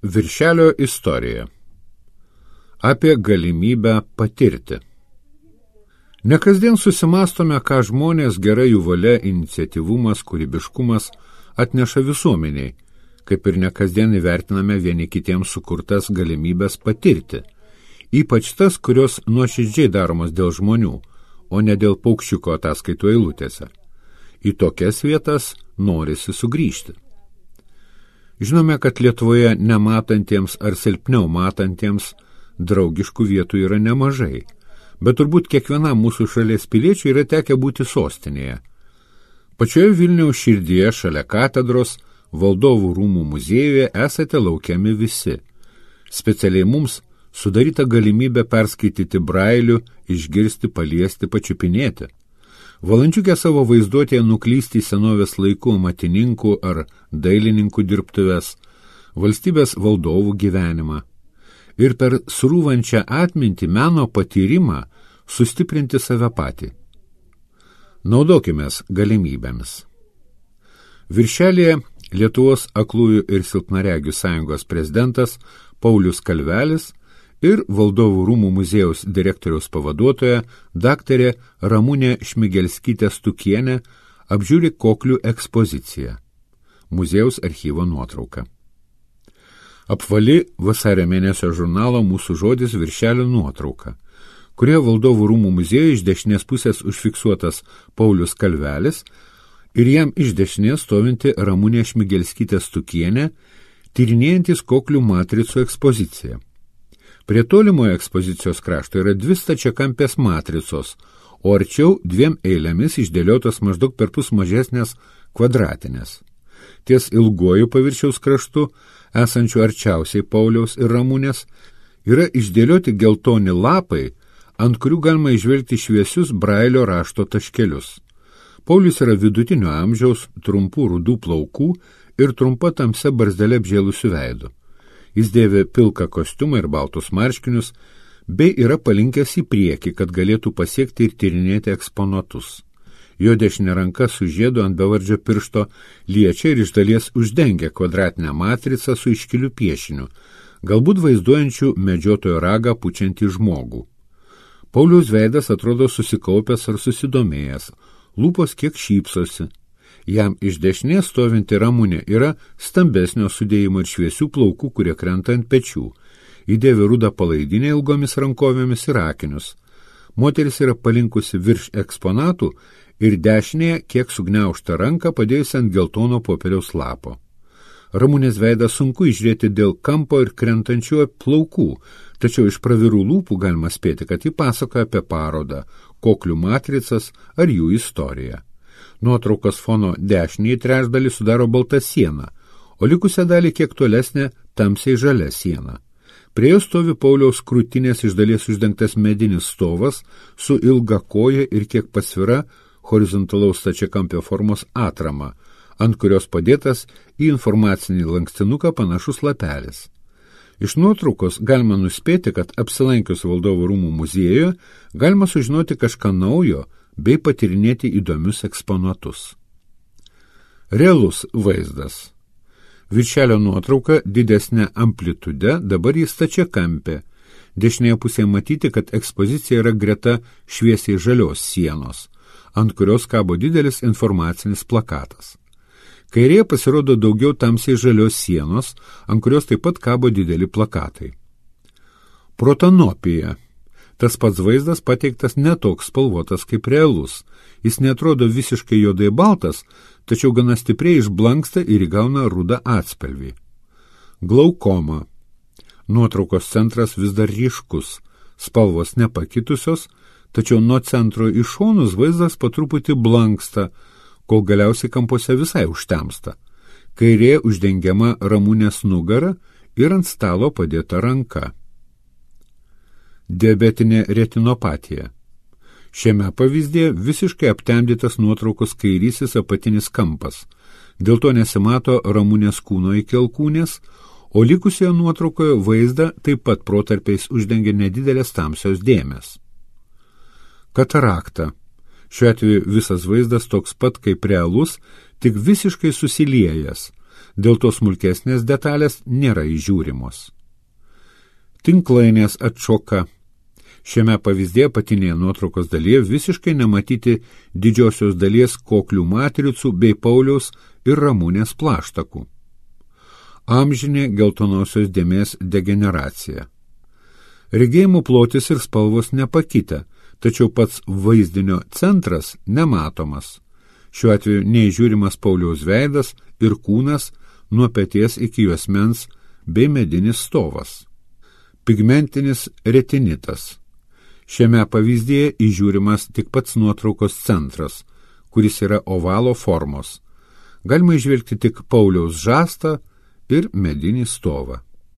Viršelio istorija. Apie galimybę patirti. Nekasdien susimastome, ką žmonės, gera jų valia, iniciatyvumas, kūrybiškumas atneša visuomeniai, kaip ir nekasdien įvertiname vieni kitiems sukurtas galimybės patirti, ypač tas, kurios nuoširdžiai daromos dėl žmonių, o ne dėl paukščiuko ataskaitų eilutėse. Į tokias vietas norisi sugrįžti. Žinome, kad Lietuvoje nematantiems ar silpniau matantiems draugiškų vietų yra nemažai, bet turbūt kiekvienam mūsų šalies piliečiui yra tekę būti sostinėje. Pačioje Vilniaus širdyje, šalia katedros, Valdovų rūmų muziejuje esate laukiami visi. Specialiai mums sudaryta galimybė perskaityti brailių, išgirsti, paliesti, pačiupinėti. Valandžiukę savo vaizduotėje nuklysti į senovės laikų matininkų ar dailininkų dirbtuves, valstybės valdovų gyvenimą ir per srūvančią atmintį meno patyrimą sustiprinti save patį. Naudokimės galimybėmis. Viršelyje Lietuvos aklųjų ir silpnaregių sąjungos prezidentas Paulius Kalvelis ir Valdovų rūmų muziejaus direktoriaus pavaduotoja daktarė Ramunė Šmigelskytė Stukienė apžiūri koklių ekspoziciją. Muziejaus archyvo nuotrauka. Apvali vasario mėnesio žurnalo Mūsų žodis viršelio nuotrauka, kurioje Valdovų rūmų muziejuje iš dešinės pusės užfiksuotas Paulius Kalvelis ir jam iš dešinės stovinti Ramunė Šmigelskytė Stukienė, tyrinėjantis koklių matricų ekspoziciją. Prie tolimojo ekspozicijos krašto yra 2 stačiakampės matricos, o arčiau 2 eilėmis išdėliotos maždaug perpus mažesnės kvadratinės. Ties ilguoju paviršiaus kraštu, esančiu arčiausiai Pauliaus ir Ramunės, yra išdėlioti geltoni lapai, ant kurių galima įžvelgti šviesius brailio rašto taškelius. Paulius yra vidutinio amžiaus, trumpų rudų plaukų ir trumpa tamsia barzdele apžėlusių veidų. Jis dėvi pilką kostiumą ir baltus marškinius, bei yra palinkęs į priekį, kad galėtų pasiekti ir tyrinėti eksponatus. Jo dešinė ranka su žiedu ant bevardžio piršto liečia ir iš dalies uždengia kvadratinę matricą su iškiliu piešiniu, galbūt vaizduojančiu medžiotojo ragą pučiantį žmogų. Pauliaus veidas atrodo susikaupęs ar susidomėjęs, lūpos kiek šypsosi. Jam iš dešinės stovinti Ramunė yra stambesnio sudėjimo ir šviesių plaukų, kurie krenta ant pečių. Įdėvi rudą palaidinę ilgomis rankovėmis ir akinius. Moteris yra palinkusi virš eksponatų ir dešinėje kiek sugniaužtą ranką padėjusi ant geltono popieriaus lapo. Ramunės veidą sunku įžiūrėti dėl kampo ir krentančių plaukų, tačiau iš pravirų lūpų galima spėti, kad ji pasakoja apie parodą, koklių matricas ar jų istoriją. Nuotraukos fono dešinįjį trečdalį sudaro balta siena, o likusią dalį kiek tolesnė tamsiai žalia siena. Prie jo stovi Pauliaus krūtinės iš dalies uždengtas medinis stovas su ilga koja ir kiek pasvira horizontalaus stačiakampio formos atrama, ant kurios padėtas į informacinį lankstinuką panašus lapelis. Iš nuotraukos galima nuspėti, kad apsilankius Valdovų rūmų muziejuje galima sužinoti kažką naujo bei patyrinėti įdomius eksponatus. Realus vaizdas. Viršelio nuotrauka didesnė amplitude, dabar jis stačiakampė. Dešinėje pusėje matyti, kad ekspozicija yra greta šviesiai žalios sienos, ant kurios kabo didelis informacinis plakatas. Kairėje pasirodo daugiau tamsiai žalios sienos, ant kurios taip pat kabo dideli plakatai. Protanopija. Tas pats vaizdas pateiktas netoks spalvotas kaip realus. Jis netrodo visiškai juodai baltas, tačiau gana stipriai išblanksta ir įgauna rudą atspalvį. Glaukoma. Nuotraukos centras vis dar ryškus, spalvos nepakitusios, tačiau nuo centro į šonus vaizdas po truputį blanksta, kol galiausiai kampuose visai užtemsta. Kairė uždengiama Ramunės nugara ir ant stalo padėta ranka. Diabetinė retinopatija. Šiame pavyzdėje visiškai aptemdytas nuotraukos kairysis apatinis kampas. Dėl to nesimato Ramunės kūno iki alkūnės, o likusioje nuotraukoje vaizdą taip pat protarpiais uždengia nedidelės tamsios dėmės. Katarakta. Šiuo atveju visas vaizdas toks pat kaip realus, tik visiškai susiliejęs. Dėl to smulkesnės detalės nėra įžiūrimos. Tinklainės atšoka. Šiame pavyzdėje apatinėje nuotraukos dalyje visiškai nematyti didžiosios dalies koklių matricų bei Pauliaus ir Ramunės plaštakų. Amžinė geltonosios dėmės degeneracija. Regėjimų plotis ir spalvos nepakitę, tačiau pats vaizdinio centras nematomas. Šiuo atveju neįžiūrimas Pauliaus veidas ir kūnas nuo peties iki juosmens bei medinis stovas. Pigmentinis retinitas. Šiame pavyzdėje įžiūrimas tik pats nuotraukos centras, kuris yra ovalo formos. Galima įžvelgti tik Pauliaus žastą ir medinį stovą.